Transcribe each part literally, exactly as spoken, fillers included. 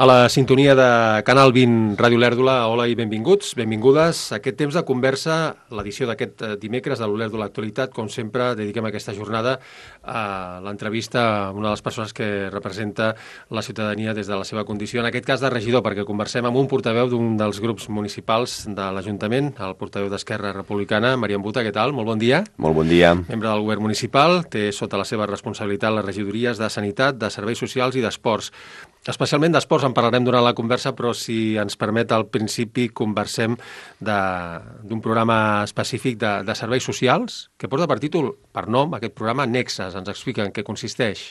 A la sintonia de Canal vint Ràdio Lèrdula, hola i benvinguts, benvingudes a aquest temps de conversa, l'edició d'aquest dimecres de l'Olèrdula Actualitat. Com sempre, dediquem aquesta jornada a l'entrevista a una de les persones que representa la ciutadania des de la seva condició, en aquest cas de regidor, perquè conversem amb un portaveu d'un dels grups municipals de l'Ajuntament, el portaveu d'Esquerra Republicana, Marian Buta. Què tal? Molt bon dia. Molt bon dia. Membre del govern municipal, té sota la seva responsabilitat les regidories de Sanitat, de Serveis Socials i d'Esports. Especialment d'esports en parlarem durant la conversa, però si ens permet al principi conversem d'un programa específic de, de serveis socials que porta per títol, per nom, aquest programa Nexes. Ens explica en què consisteix.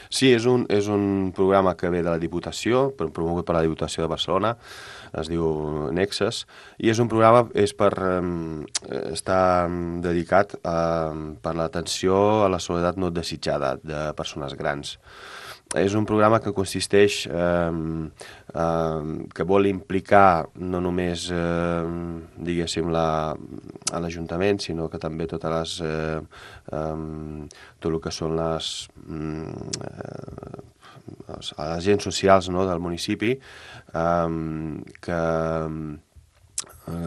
Sí, és un, és un programa que ve de la Diputació, promogut per la Diputació de Barcelona, es diu Nexes, i és un programa és per, eh, està dedicat a, per l'atenció a la soledat no desitjada de persones grans. És un programa que consisteix, eh, eh, que vol implicar no només, eh, diguéssim, la, a l'Ajuntament, sinó que també totes les, eh, eh, tot el que són les, eh, les agents socials, no, del municipi, eh, que,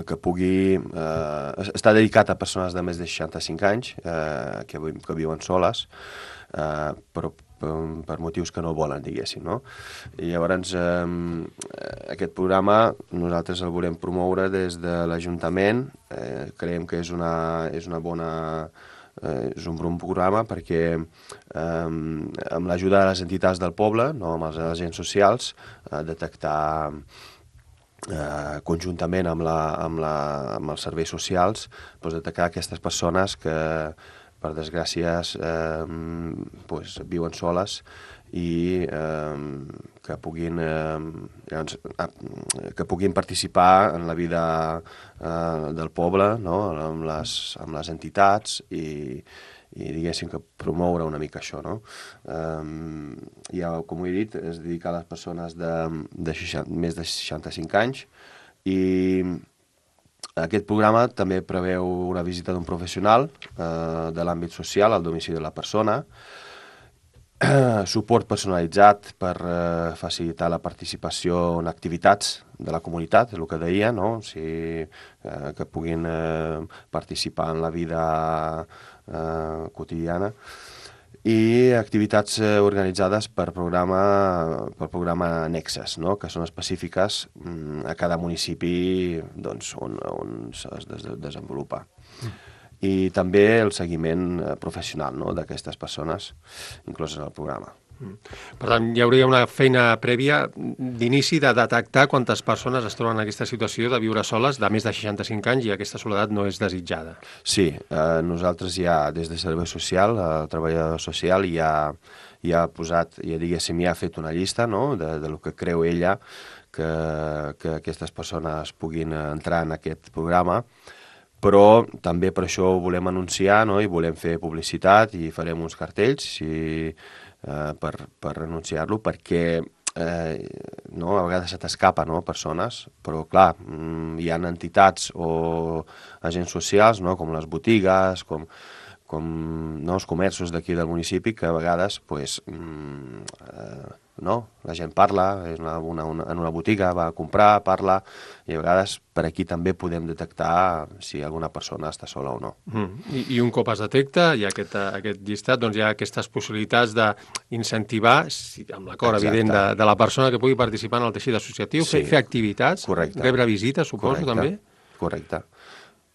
que pugui... Eh, està dedicat a persones de més de seixanta-cinc anys, eh, que, que viuen soles, eh, però per motius que no volen, diguéssim, no? I llavors, eh, aquest programa nosaltres el volem promoure des de l'Ajuntament. Eh, creiem que és una, és una bona... Eh, és un bon programa perquè eh, amb l'ajuda de les entitats del poble, no, amb els agents socials, eh, detectar eh, conjuntament amb, la, amb, la, amb els serveis socials, doncs detectar aquestes persones que per desgràcies, eh, pues, viuen soles i eh, que, puguin, eh, que puguin participar en la vida eh, del poble, no? amb, les, amb les entitats i, i diguéssim que promoure una mica això. No? Eh, ja, com ho he dit, es dedica a les persones de, de seixanta, més de seixanta-cinc anys i aquest programa també preveu una visita d'un professional eh, de l'àmbit social al domicili de la persona, eh, suport personalitzat per eh, facilitar la participació en activitats de la comunitat, el que deia, no? O sigui, eh, que puguin eh, participar en la vida eh, quotidiana, i activitats eh, organitzades per programa, per programa Nexes, no? Que són específiques mm, a cada municipi, doncs, on, on es des desenvolupa. Mm. I també el seguiment eh, professional, no? D'aquestes persones incloses al programa. Mm. Per tant, hi hauria una feina prèvia d'inici de detectar quantes persones es troben en aquesta situació de viure soles de més de seixanta-cinc anys i aquesta soledat no és desitjada. Sí, eh, nosaltres ja des de Servei Social, el treballador social ja, ja ha posat, ja diguéssim, ja ha fet una llista, no? de, de lo que creu ella que, que aquestes persones puguin entrar en aquest programa, però també per això ho volem anunciar, no? I volem fer publicitat i farem uns cartells i Uh, per, per anunciar-lo, perquè eh, no, a vegades se t'escapa, no, persones, però clar, hi ha entitats o agents socials, no, com les botigues, com, com no, els comerços d'aquí del municipi, que a vegades pues, eh, no, la gent parla, és una, una, una, en una botiga va a comprar, parla, i a vegades per aquí també podem detectar si alguna persona està sola o no. Mm. I, I un cop es detecta, hi ha aquest, aquest llistat, doncs hi ha aquestes possibilitats d'incentivar, si, amb l'acord evident de, de la persona que pugui participar en el teixit associatiu, sí. fer, fer activitats, correcte. Rebre visites, suposo, correcte. també? Correcte.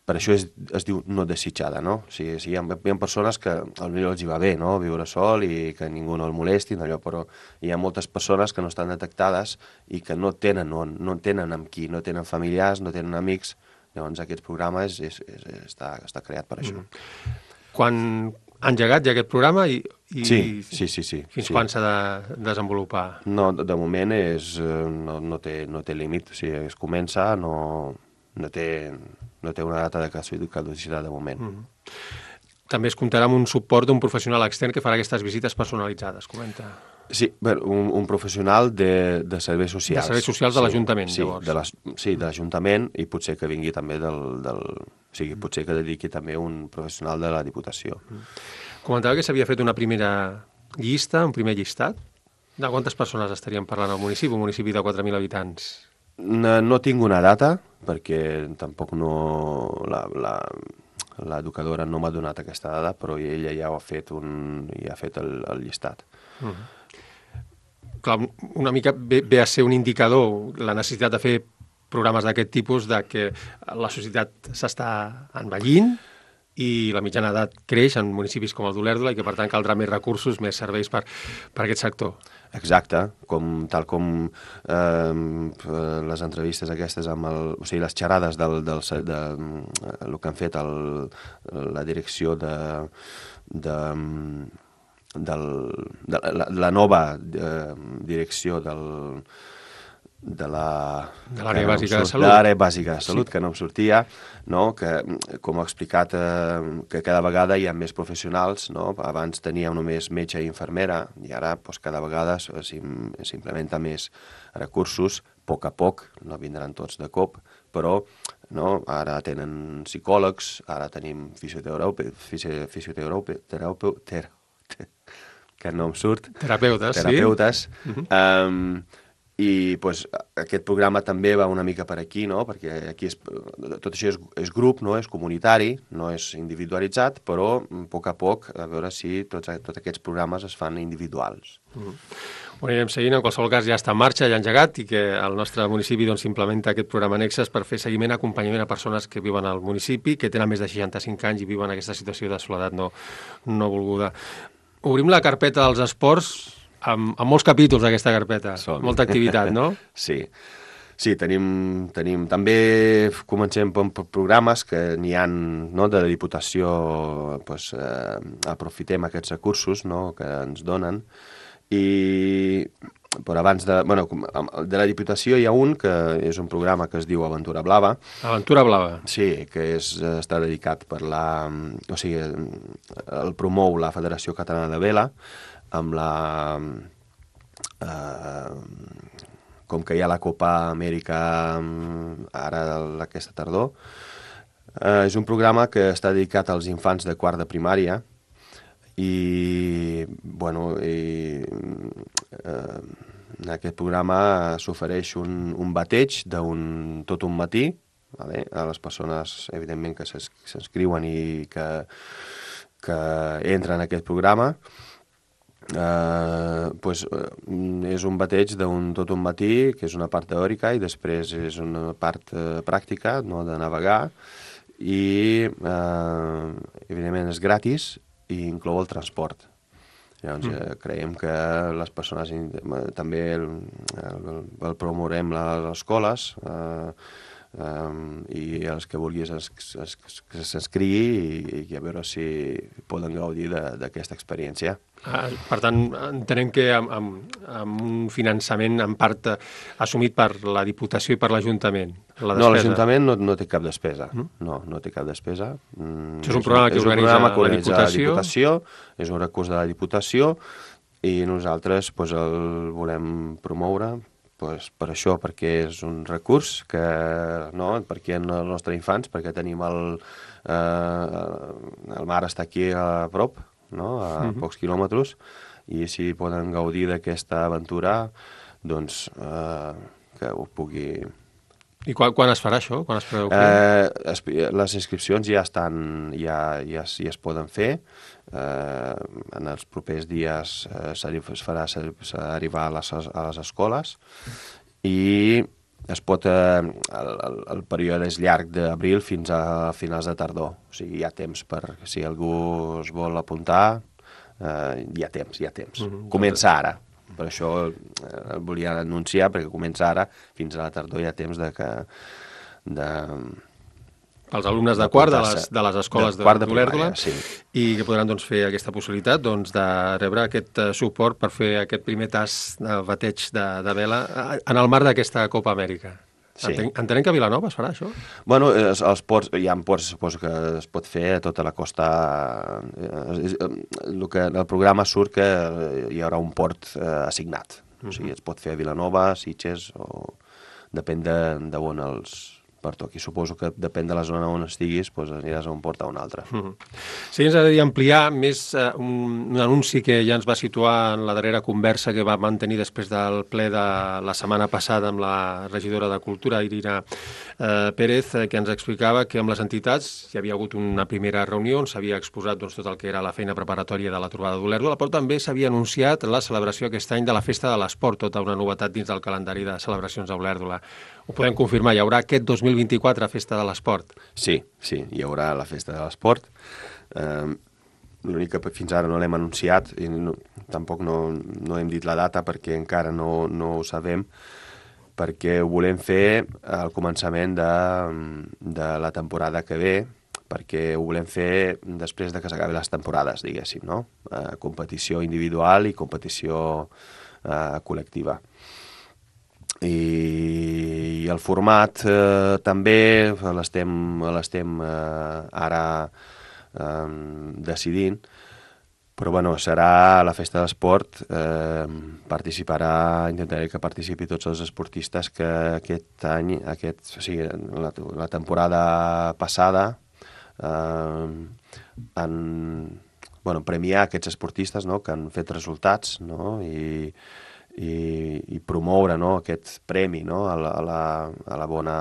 Per això es, es diu no desitjada, no? O sigui, hi ha, hi ha persones que potser els hi va bé, no?, viure sol i que ningú no el molesti, allò, però hi ha moltes persones que no estan detectades i que no tenen on, no tenen amb qui, no tenen familiars, no tenen amics. Llavors aquest programa és, és, és, està, està creat per això. Mm. Quan ha engegat ja aquest programa i, i sí, sí, sí, sí, fins sí. quan s'ha de desenvolupar? No, de moment és, no, no, té, no té límit, o sigui, es comença, no, no té... no té una data de caducitat de moment. Mm. També es comptarà amb un suport d'un professional extern que farà aquestes visites personalitzades, comenta. Sí, bueno, un, un professional de, de serveis socials. De serveis socials de sí, l'Ajuntament, sí, llavors. De les, sí, de l'Ajuntament, i potser que vingui també del... del o sigui, potser que dediqui també un professional de la Diputació. Mm. Comentava que s'havia fet una primera llista, un primer llistat. De quantes persones estaríem parlant al municipi, un municipi de quatre mil habitants? No, no tinc una data, perquè tampoc no... La, la, l'educadora no m'ha donat aquesta dada, però ella ja ho ha fet, un, ja ha fet el, el llistat. Mm. Clar, una mica ve, ve a ser un indicador la necessitat de fer programes d'aquest tipus, de que la societat s'està envellint i la mitjana edat creix en municipis com el d'Olèrdola i que, per tant, caldrà més recursos, més serveis per, per aquest sector. Exacte, com, tal com eh, les entrevistes aquestes amb el... O sigui, les xerrades del, del, de, de, el que han fet el, la direcció de... de del, de la, la nova eh, direcció del... de la... De l'àrea bàsica de salut. De l'àrea bàsica de salut, sí. Que no em sortia, no? Que, com ha explicat, eh, que cada vegada hi ha més professionals, no? Abans teníem només metge i infermera, i ara doncs, cada vegada s'implementa més recursos, a poc a poc, no vindran tots de cop, però no? Ara tenen psicòlegs, ara tenim fisioterapeutes, fisioterapeutes, que no em surt, terapeutes, terapeutes, sí. Uh-huh. um, i pues, aquest programa també va una mica per aquí, no? Perquè aquí és, tot això és, és grup, no? És comunitari, no és individualitzat, però a poc a poc a veure si tots, tots aquests programes es fan individuals. Uh-huh. Ho anirem seguint, en qualsevol cas ja està en marxa, ja engegat, i que el nostre municipi doncs, implementa aquest programa Nexes per fer seguiment, acompanyament a persones que viuen al municipi, que tenen més de seixanta-cinc anys i viuen aquesta situació de soledat no, no volguda. Obrim la carpeta dels esports amb, amb molts capítols d'aquesta carpeta, Som. molta activitat, no? Sí, sí, tenim, tenim... També comencem per programes que n'hi ha, no, de la Diputació, pues, eh, aprofitem aquests recursos, no, que ens donen, i però abans de... Bueno, de la Diputació hi ha un que és un programa que es diu Aventura Blava. Aventura Blava. Sí, que és, està dedicat per la... O sigui, el promou la Federació Catalana de Vela, amb la... Eh, com que hi ha la Copa Amèrica ara aquesta tardor, eh, és un programa que està dedicat als infants de quart de primària i, bueno, i, eh, en aquest programa s'ofereix un, un bateig d'un tot un matí, vale? A les persones, evidentment, que s'inscriuen i que, que entren en aquest programa. Uh, pues, uh, és un bateig d'un tot un matí, que és una part teòrica, i després és una part uh, pràctica, no, de navegar, i uh, evidentment és gratis i inclou el transport. Llavors, mm. uh, creiem que les persones també el, el, el promourem a les escoles, uh, Um, i els que vulguis que s'escrigui i, i a veure si poden gaudir d'aquesta experiència. Ah, per tant, entenem que amb, amb, amb un finançament en part assumit per la Diputació i per l'Ajuntament. La no, l'Ajuntament no, no té cap despesa. Mm? No, no té cap despesa. Mm, Això és un programa que organitza la Diputació. la Diputació. És un recurs de la Diputació i nosaltres pues, el volem promoure. Pues per això, perquè és un recurs que, no, perquè en els nostres infants, perquè tenim el, eh, el mar està aquí a prop, no, a uh-huh. pocs quilòmetres, i si poden gaudir d'aquesta aventura, doncs eh, que ho pugui... I quan, quan es farà això? Quan es preveu fer? Eh, les inscripcions ja estan, ja, ja, ja es poden fer. Eh, en els propers dies eh, es farà arribar a les, a les escoles i es pot, eh, el, el període és llarg d'abril fins a finals de tardor, o sigui, hi ha temps per, si algú es vol apuntar, eh, hi ha temps, hi ha temps. Mm-hmm. Comença ara, per això eh, el volia anunciar, perquè comença ara, fins a la tardor hi ha temps de que... De, els alumnes de, de quart de les, de les escoles de, de, de d'Olèrdola, sí. I que podran doncs, fer aquesta possibilitat doncs, de rebre aquest uh, suport per fer aquest primer tast de bateig de, de vela en el marc d'aquesta Copa Amèrica. Sí. Entenc, entenem que a Vilanova es farà això? Bueno, els, els ports, hi ha ports, suposo que es pot fer a tota la costa. El, que, el programa surt que hi haurà un port eh, assignat. Uh-huh. O sigui, es pot fer a Vilanova, Sitges, o depèn de, de on els... per tot. I suposo que depèn de la zona on estiguis, doncs aniràs a un port a un altre. Mm-hmm. Sí, ens agradaria ampliar més eh, un, un anunci que ja ens va situar en la darrera conversa que va mantenir després del ple de la setmana passada amb la regidora de Cultura, Irina eh, Pérez, eh, que ens explicava que amb les entitats hi havia hagut una primera reunió on s'havia exposat doncs, tot el que era la feina preparatòria de la trobada d'Olèrdola, però també s'havia anunciat la celebració aquest any de la Festa de l'Esport, tota una novetat dins del calendari de celebracions a Olèrdola. Ho podem confirmar, hi haurà aquest dos mil vint-i-quatre Festa de l'Esport. Sí, sí, hi haurà la Festa de l'Esport. Eh, L'únic que fins ara no l'hem anunciat i no, tampoc no, no hem dit la data perquè encara no, no ho sabem, perquè ho volem fer al començament de, de la temporada que ve, perquè ho volem fer després de que s'acabi les temporades, diguéssim, no? Eh, competició individual i competició eh, col·lectiva. I el format eh, també l'estem l'estem eh, ara eh, decidint, però bueno, serà la Festa de l'Esport, eh, participarà, intentaré que participi tots els esportistes que aquest any, aquest, o sigui, la, la temporada passada eh, han, bueno, premiar aquests esportistes, no?, que han fet resultats, no?, i I, i promoure, no?, aquest premi, no?, a la, a la, a la bona,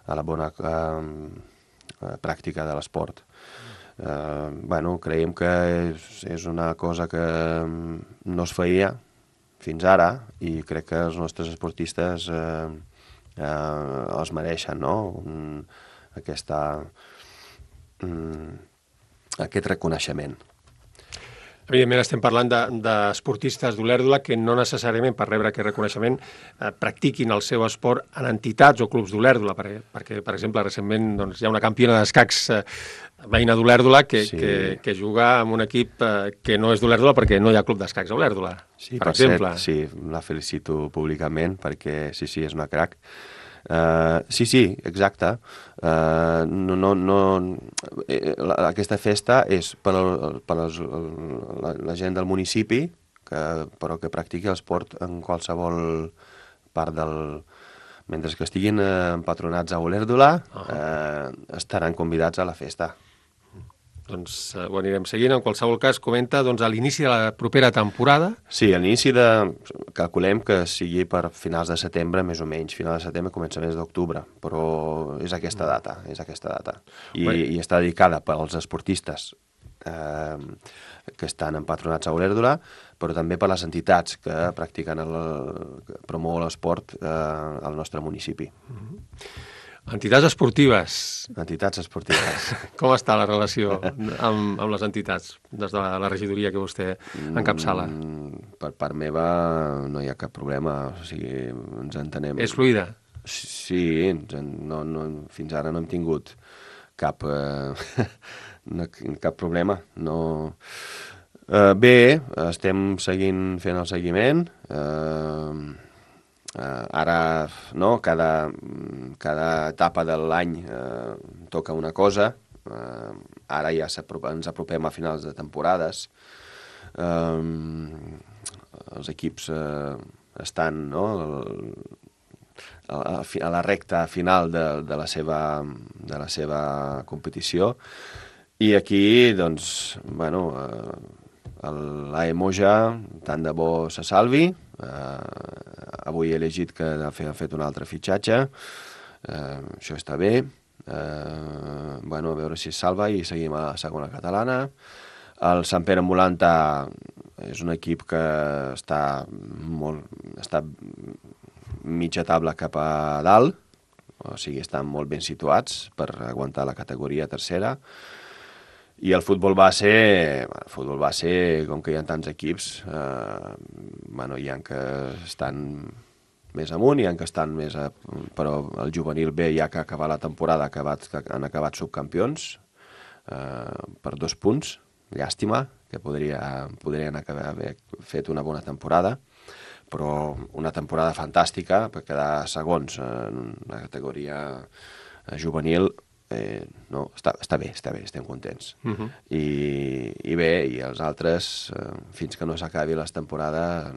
a la bona eh, pràctica de l'esport. Eh, bueno, creiem que és, és una cosa que no es feia fins ara i crec que els nostres esportistes eh, eh, els mereixen, no?, Un, aquesta, um, aquest reconeixement. Evidentment estem parlant d'esportistes de, d'Olèrdola que no necessàriament per rebre aquest reconeixement eh, practiquin el seu esport en entitats o clubs d'Olèrdola, perquè, perquè, per exemple, recentment doncs, hi ha una campiona d'escacs eh, veïna d'Olèrdola que, sí. que, que juga amb un equip eh, que no és d'Olèrdola perquè no hi ha club d'escacs a Olèrdola, sí, per, per exemple. Cert, sí, la felicito públicament perquè sí, sí, és una crac. Uh, sí, sí, exacte. Uh, no, no, no, eh, la, aquesta festa és per, al, per als, la, la gent del municipi, que, però que practiqui l'esport en qualsevol part del... Mentre que estiguin eh, empatronats a Olèrdola, uh-huh. eh, estaran convidats a la festa. Doncs eh, ho anirem seguint. En qualsevol cas, comenta doncs, a l'inici de la propera temporada. Sí, a l'inici de... Calculem que sigui per finals de setembre, més o menys. Final de setembre, començaments d'octubre. Però és aquesta data, és aquesta data. I, i està dedicada pels esportistes eh, que estan empatronats a Olèrdola, però també per les entitats que practiquen el, que promouen l'esport eh, al nostre municipi. Mm-hmm. Entitats esportives. Entitats esportives. Com està la relació amb, amb les entitats des de la regidoria que vostè encapçala? Mm, per part meva no hi ha cap problema, o sigui, ens entenem. És fluida? Sí, no, no, fins ara no hem tingut cap, eh, no, cap problema. No... Uh, bé, estem seguint fent el seguiment. Uh, Uh, ara, no, cada, cada etapa de l'any uh, toca una cosa. Uh, ara ja ens apropem a finals de temporades. Uh, els equips uh, estan, no, a, a la recta final de, de, la seva, de la seva competició. I aquí, doncs, bueno, uh, l'A E Moja, tant de bo se salvi. Uh, avui he llegit que ha fet un altre fitxatge, uh, això està bé, uh, bueno, a veure si es salva i seguim a la segona catalana. El Sant Pere Molanta és un equip que està, molt, està mitja taula cap a dalt, o sigui, estan molt ben situats per aguantar la categoria tercera. I el futbol base, el futbol base, com que hi ha tants equips, eh, bueno, hi ha que estan més amunt, hi ha que estan més... A, però el juvenil B, ja que ha acabat la temporada, acabat, han acabat subcampions eh, per dos punts. Llàstima, que podria, podrien haver fet una bona temporada, però una temporada fantàstica per quedar segons en la categoria juvenil. Eh, no, està, està bé, està bé, estem contents. Uh-huh. I, I bé, i els altres, eh, fins que no s'acabi la temporada,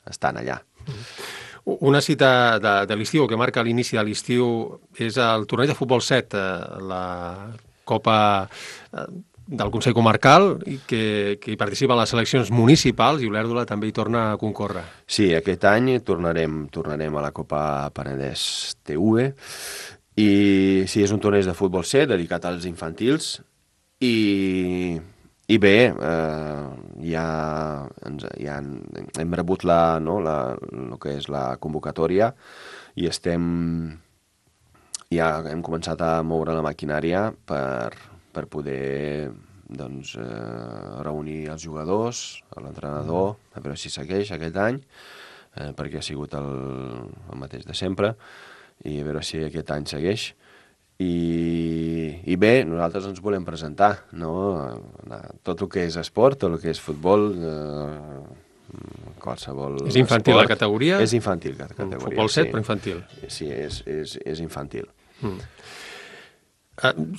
estan allà. Uh-huh. Una cita de, de l'estiu, que marca l'inici de l'estiu, és el torneig de futbol set, eh, la Copa eh, del Consell Comarcal, i que, que hi participen les seleccions municipals, i Olèrdola també hi torna a concórrer. Sí, aquest any tornarem, tornarem a la Copa Penedès T V, i sí, és un torneig de futbol set dedicat als infantils, i, i bé, eh, ja, ens, ja hem rebut la, no, la, el que és la convocatòria, i estem, ja hem començat a moure la maquinària per, per poder doncs, eh, reunir els jugadors, l'entrenador, a veure si segueix aquest any, eh, perquè ha sigut el, el mateix de sempre, i a veure si aquest any segueix. I, i bé, nosaltres ens volem presentar, no? Tot el que és esport, tot el que és futbol, eh, qualsevol És infantil esport, la categoria? És infantil la categoria, Futbol set, sí. però infantil. Sí, és, és, és infantil. Mm.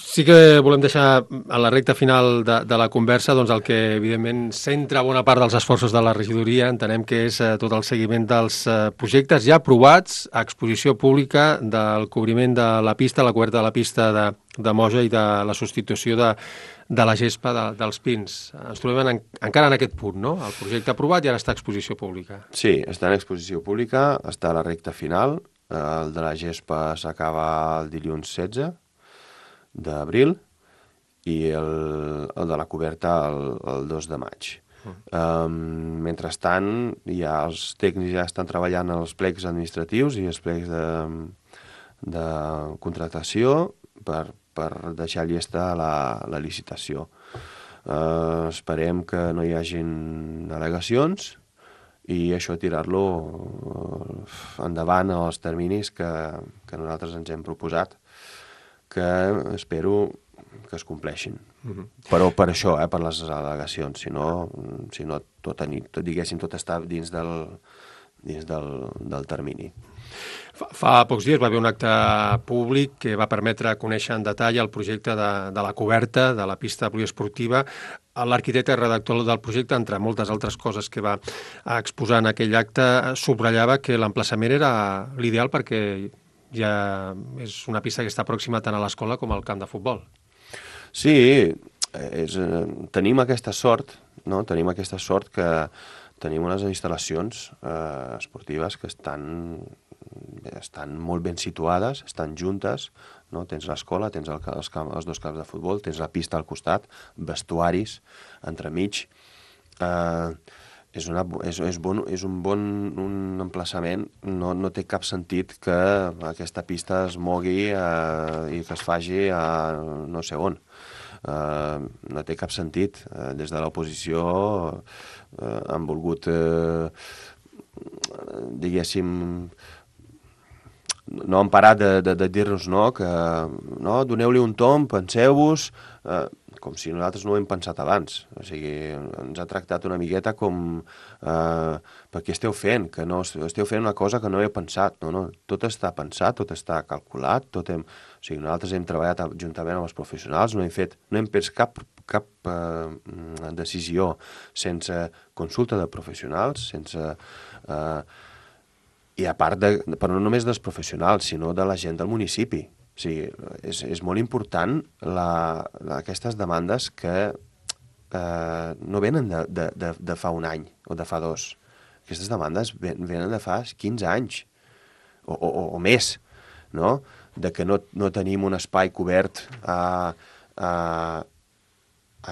Sí que volem deixar a la recta final de, de la conversa doncs, el que evidentment centra bona part dels esforços de la regidoria. Entenem que és eh, tot el seguiment dels eh, projectes ja aprovats a exposició pública del cobriment de la pista, la coberta de la pista de, de Moja i de la substitució de, de la gespa de, dels pins. Ens trobem en, encara en aquest punt, no? El projecte aprovat i ara està a exposició pública. Sí, està en exposició pública, està a la recta final. El de la gespa s'acaba el dilluns setze d'abril i el, el de la coberta el, el dos de maig. Mm. Um, mentrestant, ja els tècnics ja estan treballant en els plecs administratius i els plecs de, de contractació per, per deixar llesta la, la licitació. Uh, esperem que no hi hagin al·legacions i això tirar-lo endavant als terminis que, que nosaltres ens hem proposat, que espero que es compleixin. Mm-hmm. Però per això, eh, per les al·legacions, si no, si no tot, tot, diguéssim, tot està dins del, dins del, del termini. Fa, fa pocs dies va haver un acte públic que va permetre conèixer en detall el projecte de, de la coberta de la pista poliesportiva. L'arquitecte i redactor del projecte, entre moltes altres coses que va exposar en aquell acte, subratllava que l'emplaçament era l'ideal perquè ja és una pista que està pròxima tant a l'escola com al camp de futbol. Sí, és, tenim aquesta sort, no? Tenim aquesta sort que tenim unes instal·lacions eh, esportives que estan, estan molt ben situades, estan juntes, no? Tens l'escola, tens el, els, camp, els dos camps de futbol, tens la pista al costat, vestuaris entremig. Eh, És, una, és, és, bon, és un bon un emplaçament, no, no té cap sentit que aquesta pista es mogui eh, i que es faci a no sé on. Eh, no té cap sentit. Eh, des de l'oposició eh, han volgut, eh, diguéssim, no han parat de, de, de dir-nos no, que no, doneu-li un tomb, penseu-vos... Eh, com si nosaltres no ho hem pensat abans. O sigui, ens ha tractat una miqueta com eh, per què esteu fent? Que no esteu fent una cosa que no heu pensat. No, no, tot està pensat, tot està calculat, tot hem... O sigui, nosaltres hem treballat juntament amb els professionals, no hem fet, no hem pres cap, cap eh, decisió sense consulta de professionals, sense... Eh, i a part, de, però no només dels professionals, sinó de la gent del municipi. O sigui, és, és molt important la, la, aquestes demandes que eh, no venen de, de, de, de fa un any o de fa dos. Aquestes demandes venen de fa quinze anys o, o, o més, no? De que no, no tenim un espai cobert a, a,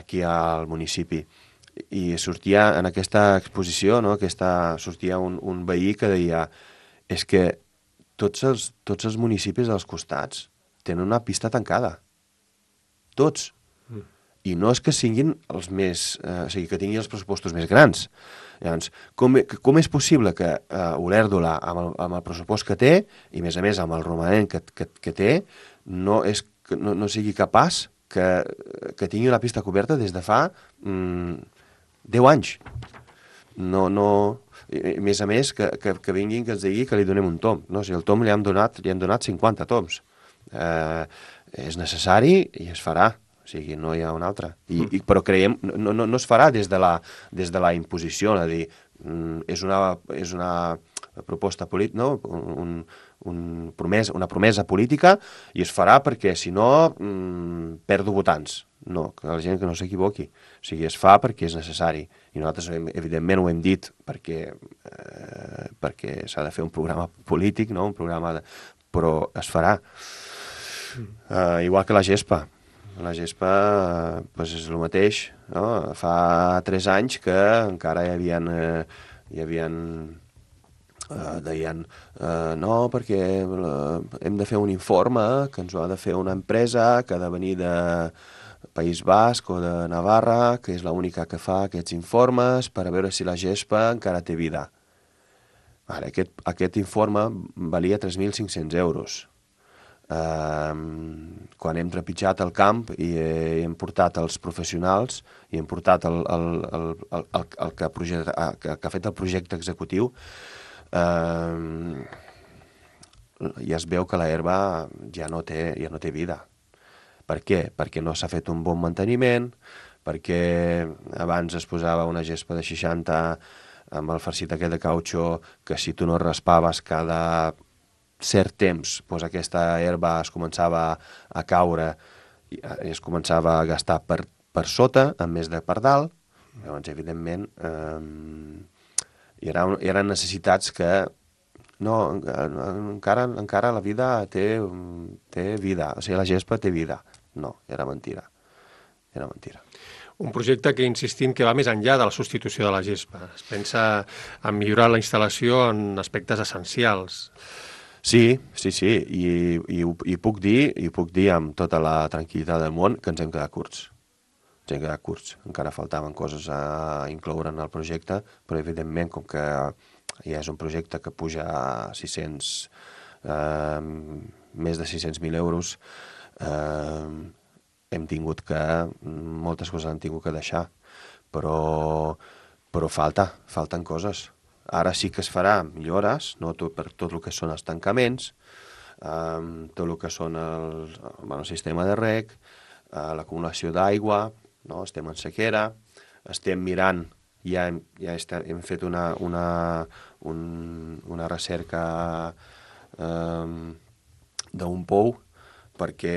aquí al municipi. I sortia en aquesta exposició, no? Aquesta, sortia un, un veí que deia és que tots els, tots els municipis dels costats tenen una pista tancada. Tots. Mm. I no és que siguin els més... Eh, o sigui, que tinguin els pressupostos més grans. Llavors, com, com és possible que eh, Olèrdola, amb el, amb el pressupost que té, i a més a més amb el romanent que, que, que té, no, és, no, no sigui capaç que, que tingui la pista coberta des de fa mm, deu anys? No, no... I, a més a més, que, que, que vinguin que ens digui que li donem un tom. No? O sigui, el tom li hem donat, li hem donat cinquanta toms. Eh, és necessari i es farà. O sigui, no hi ha un altre. I, i, però creiem, no, no, no es farà des de la, des de la imposició, és a dir, mm, és una, és una proposta política, no? un, un promesa, una promesa política, i es farà perquè, si no, mmm, perdo votants. No, que la gent que no s'equivoqui. O sigui, es fa perquè és necessari. I nosaltres, evidentment, ho hem dit perquè, eh, perquè s'ha de fer un programa polític, no? Un programa de... però es farà. Mm. Uh, igual que la gespa. La gespa eh, pues és el mateix. No? Fa tres anys que encara hi havia... Eh, hi havia Uh, deien, uh, no, perquè uh, hem de fer un informe que ens ho ha de fer una empresa que ha de venir de País Basc o de Navarra, que és l'única que fa aquests informes per a veure si la gespa encara té vida. Ara, aquest, aquest informe valia tres mil cinc-cents euros. Uh, quan hem trepitjat el camp i he, hem portat els professionals i hem portat el, el, el, el, el, el que, projecte, que, que ha fet el projecte executiu, Uh, ja es veu que la herba ja no té, ja no té vida. Per què? Perquè no s'ha fet un bon manteniment, perquè abans es posava una gespa de seixanta amb el farcit aquest de cautxó, que si tu no raspaves cada cert temps, doncs aquesta herba es començava a caure i es començava a gastar per, per sota, en més de per dalt. Llavors, evidentment, eh, hi eren, hi eren necessitats que no, encara, encara la vida té, té vida, o sigui, la gespa té vida. No, era mentira. Era mentira. Un projecte que insistim que va més enllà de la substitució de la gespa. Es pensa en millorar la instal·lació en aspectes essencials. Sí, sí, sí, i, i, i puc dir, i puc dir amb tota la tranquil·litat del món que ens hem quedat curts. Ens hem quedat curts. Encara faltaven coses a incloure en el projecte, però evidentment, com que ja és un projecte que puja a sis-cents, eh, més de sis-cents mil euros, eh, hem tingut que, moltes coses han tingut que deixar, però, però falta, falten coses. Ara sí que es farà millores, no? Tot, per tot el que són els tancaments, eh, tot el que són el, bueno, el sistema de reg, eh, l'acumulació d'aigua, no? Estem en sequera, estem mirant, ja hem, ja estem, hem fet una, una, un, una recerca eh, d'un pou, perquè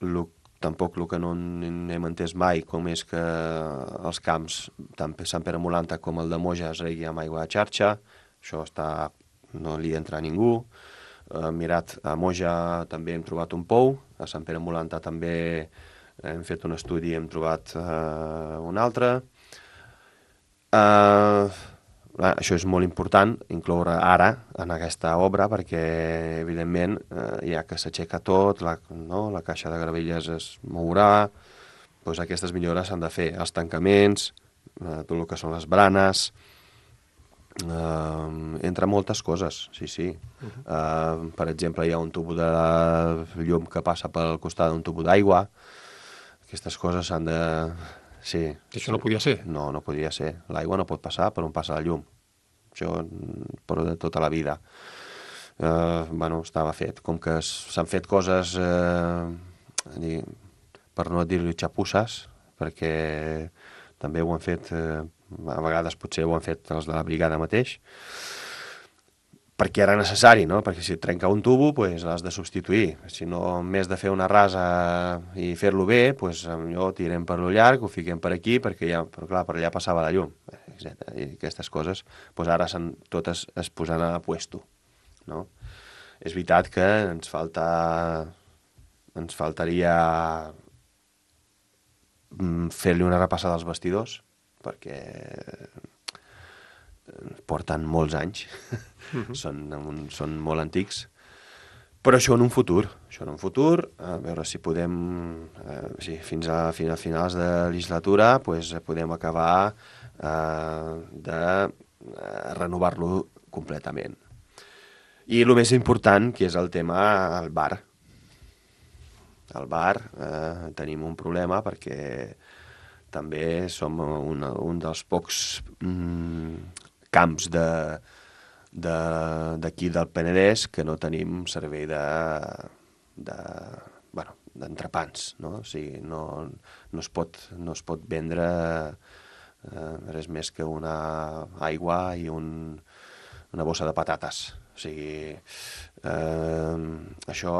lo, tampoc el que no hem entès mai, com és que els camps, tant Sant Pere Molanta com el de Moja, es regui amb aigua de xarxa. Això està, no li entra a ningú. Eh, mirat, a Moja també hem trobat un pou, a Sant Pere Molanta també hem fet un estudi i hem trobat eh, un altre. Eh, això és molt important, incloure ara en aquesta obra, perquè, evidentment, eh, ja que s'aixeca tot, la, no? La caixa de gravelles es mourà, doncs aquestes millores s'han de fer. Els tancaments, eh, tot el que són les branes, eh, entre moltes coses, sí, sí. Uh-huh. eh, per exemple, hi ha un tubo de llum que passa pel costat d'un tubo d'aigua. Aquestes coses s'han de... Sí. Això no podia ser? No, no podia ser. L'aigua no pot passar per on passa la llum. Això per de tota la vida. Eh, bueno, estava fet. Com que s'han fet coses, eh, per no dir-li xapusses, perquè també ho han fet, eh, a vegades potser ho han fet els de la brigada mateix, perquè era necessari, no? Perquè si et trenca un tubo, pues, l'has de substituir. Si no, en més de fer una rasa i fer-lo bé, pues, millor tirem per lo llarg, ho fiquem per aquí, perquè ja, però clar, per allà passava la llum, etcètera. I aquestes coses, pues, ara totes es posen a puesto, no? És veritat que ens falta... ens faltaria fer-li una repassada als vestidors, perquè porten molts anys, uh-huh. són, són molt antics, però això en un futur, això en un futur, a veure si podem, eh, sí, fins, a, fins a finals de legislatura, pues, podem acabar eh, de eh, renovar-lo completament. I el més important, que és el tema del bar. Al bar eh, tenim un problema perquè també som un, un dels pocs mm, camps de, de, d'aquí del Penedès que no tenim servei de, de, bueno, d'entrepans, no? O sigui, no, no, es pot, no es pot vendre eh, res més que una aigua i un, una bossa de patates. O sigui, eh, això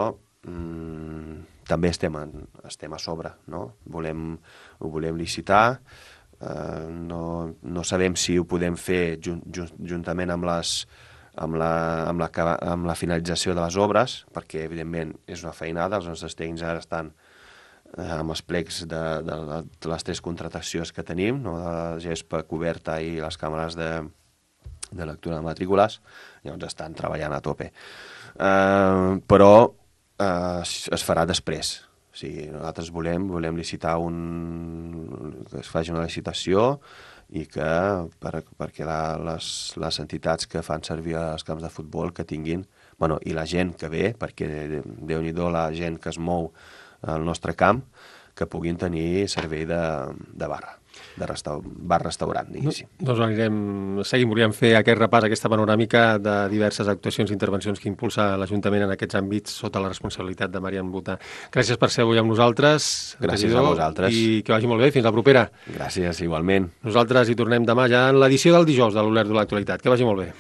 mm, també estem, en, estem a sobre, no? Volem, ho volem licitar, eh, no, no sabem si ho podem fer jun, jun, juntament amb les amb la, amb, la, amb la finalització de les obres, perquè evidentment és una feinada, els nostres tècnics ara estan eh, amb els plecs de, de, de les tres contratacions que tenim, no? De la gespa coberta i les càmeres de, de lectura de matrícules, llavors estan treballant a tope. Eh, però eh, es farà després. O sigui, nosaltres volem, volem licitar un... que es faci una licitació i que per, perquè la, les, les entitats que fan servir els camps de futbol que tinguin, bueno, i la gent que ve, perquè Déu-n'hi-do la gent que es mou al nostre camp, que puguin tenir servei de, de barra, de restau, bar-restaurant, diguéssim. No, doncs anirem, seguim, volíem fer aquest repàs, aquesta panoràmica de diverses actuacions i intervencions que impulsa l'Ajuntament en aquests àmbits sota la responsabilitat de Marian Buta. Gràcies per ser avui amb nosaltres. Gràcies a vosaltres. I que vagi molt bé. Fins la propera. Gràcies, igualment. Nosaltres hi tornem demà ja en l'edició del dijous de l'Olert de l'Actualitat. Que vagi molt bé.